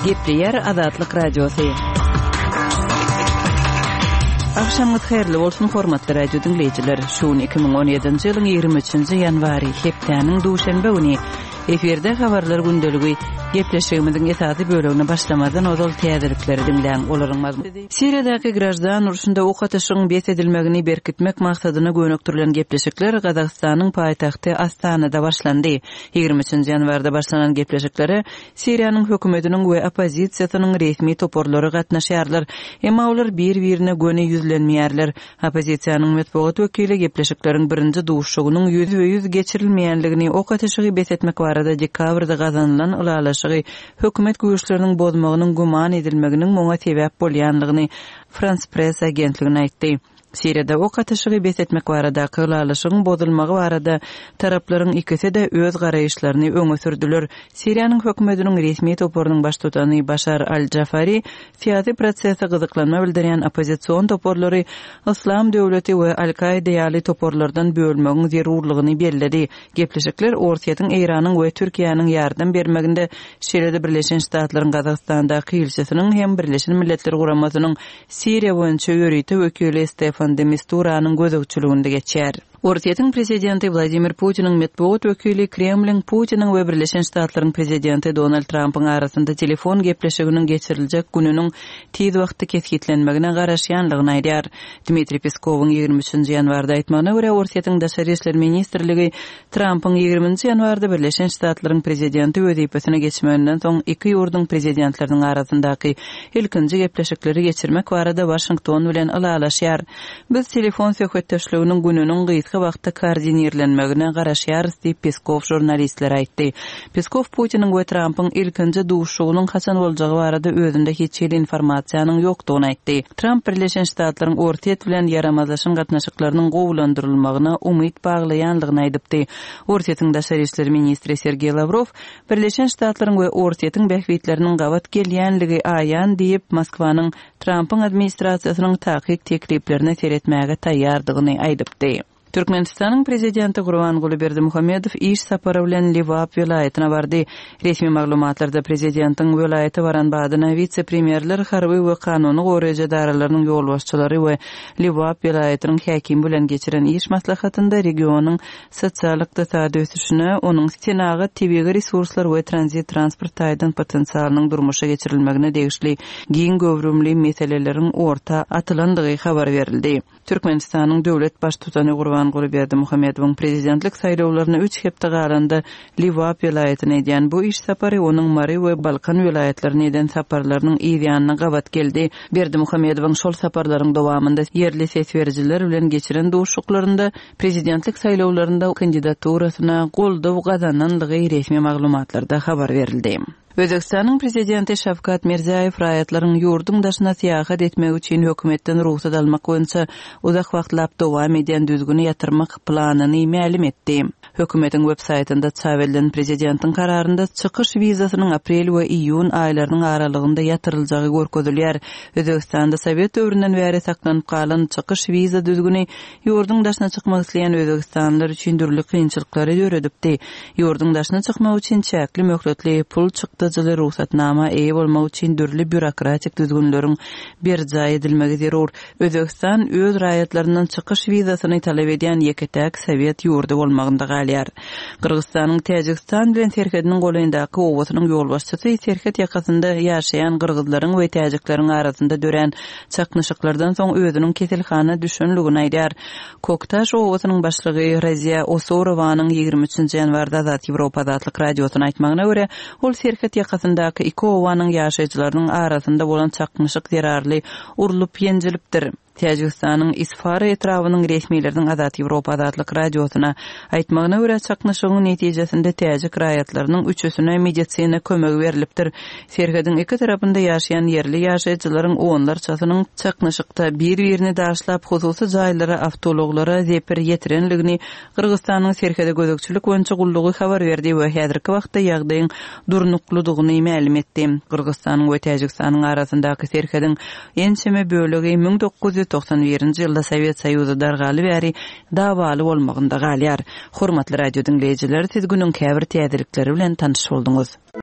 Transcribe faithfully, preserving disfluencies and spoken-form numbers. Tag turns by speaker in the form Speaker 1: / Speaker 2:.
Speaker 1: Gepleýär Azatlyk Radiosy. Agşamyňyz haýyrly bolsun, hormatly radio diňleýjiler. Şu gün iki müň on ýedinji ýylyň ýigrimi üçünji ýanwary, hepdäniň duşenbe güni. Efirde habarlar gündeligi. Gepleşigimiziň esasy bölegine başlamazdan ozal täzelikleri diňläň. Olaryň mazmuny Siriýadaky graždan urşunda ok atyşygyň bes edilmegini berkitmek maksadyna gönükdirilen gepleşikler Gazagystanyň paýtagty Astanada başlandy. Ýigrimi üçünji ýanwarda başlanan gepleşiklere Siriýanyň hökümetiniň we oppozisiýasynyň resmi toparlary gatnaşýarlar. Emma olar bir-birine göni ýüzlenmeýärler. Oppozisiýanyň metbugat wekili gepleşikleriň birinji duşuşygynyň ýüzbe-ýüz geçirilmeýänligini, ok atyşygy bes etmek barada dekabrda gazanylan ylalaşygy hökümet güýçleriniň bozmagynyň güman edilmeginiň muňa sebäp bolýanlygyny Frans Press agentligine aýtdy. Siriýada ok atyşygy bes etmek baradaky ylalaşygyň bozulmagy barada taraplaryň ikisi-de öz garaýyşlaryny öňe sürdüler. Siriýanyň hökümetiniň resmi toparynyň baştutany Başar al-Jafari syýasy prosese gyzyklanma bildirýän oppozision toparlary Yslam döwleti we Al-Kaida ýaly toparlardan bölmegiň zerurlygyny belledi. Gepleşikler Orsýetiň, Eýranyň we Türkiýäniň ýardam bermeginde, şeýle-de Birleşen Ştatlaryň Gazagystandaky ilçisiniň hem Birleşen Milletler Guramasynyň Siriýa boýunça ýörite wekili Stefan de Misturanyň gözegçiliginde geçýär. Orsýetiň prezidenti Wladimir Putiniň metbugat wekili Kremliň Putiniň we Birleşen Ştatlaryň prezidenti Donald Trampyň arasynda telefon gepleşiginiň geçiriljek gününiň tiz wagtda kesgitlenmegine garaşýanlygyny aýdýar. Dmitriý Peskowyň ýigrimi üçünji ýanwarda aýtmagyna görä, Orsýetiň Daşary işler ministrligi Trampyň ýigriminji ýanwarda Birleşen Ştatlaryň prezidenti wezipesine geçmeginden soň iki ýurduň prezidentleriniň arasyndaky ilkinji gepleşikleri geçirmek barada Waşington bilen ylalaşýar. Biz telefon söhbetdeşliginiň gününiň gysga wagtda koordinirlenmegine garaşýarys diýip Peskow žurnalistlere aýtdy. Peskow Putiniň we Trampyň ilkinji duşuşygynyň haçan boljagy barada özünde hiç hili informasiýanyň ýokdugyny aýtdy. Tramp Birleşen Ştatlaryň Orsýet bilen ýaramazlaşan gatnaşyklarynyň gowulandyrylmagyna umyt baglaýanlygyny aýdypdy. Orsýetiň Daşary işler ministri Sergeý Lawrow Birleşen Ştatlaryň we Orsýetiň bähbitleriniň gabat gelýänligi aýan diýip Moskwanyň Trampyň administrasiýasynyň takyk tekliplerine seretmäge taýýardygyny aýdypdy. Türkmenistanyň prezidenti Gurbanguly Berdimuhamedow iş sapary bilen Lebap welaýatyna bardy. Resmi maglumatlarda prezidentiň welaýata baran badyna wise-premýerler, harby we kanuny goraýjy edaralarynyň ýolbaşçylary we Lebap welaýatynyň häkimi bilen geçiren iş maslahatynda regionyň sosial-ykdysady ösüşine, onuň senagat, tebigy resurslar we tranzit transport taýdan potensialynyň durmuşa geçirilmegine degişli giň göwrümli meseleleriň orta atylandygy habar berildi. Türkmenistanyň döwlet baştutany Gurbanguly Berdimuhamedowyň prezidentlik saýlawlaryna üç hepde galanda Lebap welaýatyna edýän bu iş sapary onuň Mary we Balkan welaýatlaryna eden saparlarynyň yz ýanyna gabat geldi. Berdimuhamedowyň şol saparlaryň dowamynda ýerli ses berijiler bilen geçiren duşuşyklarynda prezidentlik saýlawlarynda kandidaturasyna goldaw gazananlygy resmi maglumatlarda habar berildi. Özbekistanyň prezidenti Şawkat Mirziýoýew raýatlaryň ýurduň daşyna syýahat etmegi üçin hökümetden rugsat almak boýunça uzak wagtlap dowam edýän düzgüni ýatyrmak planyny mälim etdi. Hökümetiň web saýtynda çap edilen prezidentiň kararynda çykyş wizasynyň aprel we iýun aýlarynyň aralygynda ýatyryljagy görkezilýär. Özbekistanda Sowet döwründen bäri saklanyp galan çykyş wiza düzgüni ýurduň daşyna çykmak isleýän özbekistanlylar üçin dürli kynçylyklary döredipdi. Ýurduň daşyna çykmak üçin çäkli möhletli pul çykdajyly rugsatnama eýe bolmak üçin dürli býurokratik düzgünleriň berjaý edilmegi zerur. Özbekistan öz raýatlaryndan çykyş wizasyny talap edýän ýeke-täk Sowet ýurdy bolmagynda galýar. Gyrgyzystanyň Täjigistan bilen serhediniň golaýyndaky obasynyň ýolbaşçysy serhet ýakasynda ýaşaýan gyrgyzlaryň we täjikleriň arasynda dörän çaknyşyklardan soň özüniň keselhana düşenligini aýdýar. Koktaş obasynyň başlygy Raziya Osorowanyň ýigrimi üçünji ýanwarda Azat Ýewropa Azatlyk Radiosyna aýtmagyna görä, ol serhet ýakasyndaky iki obanyň ýaşaýjylarynyň arasynda bolan çaknyşyk zerarly urlup ýenjilipdir. Täjigistanyň Isfara etrabynyň resmileriniň Azat Ýewropa Azatlyk Radiosyna aýtmagyna görä, çaknyşygyň netijesinde täjik raýatlarynyň üçüsine medisina kömegi berilipdir. Serhediň iki tarapynda ýaşaýan ýerli ýaşaýjylaryň onlarçasynyň çaknyşykda bir-birini daşlap, hususy jaýlara, awtoulaglara zepir ýetirenligini Gyrgyzystanyň serhede gözegçilik boýunça gullugy habar berdi we häzirki wagtda ýagdaýyň durnuklydygyny mälim etdi. Gyrgyzystanyň we Täjigistanyň arasyndaky serhediň ençeme bölegi müň dokuz ýüz togsan birinji ýylda Sowet Soýuzy dargaly bäri dawaly bolmagynda galýar. Hormatly radio diňleýjiler, siz günüň käbir täzelikleri bilen tanyş bolduňyz.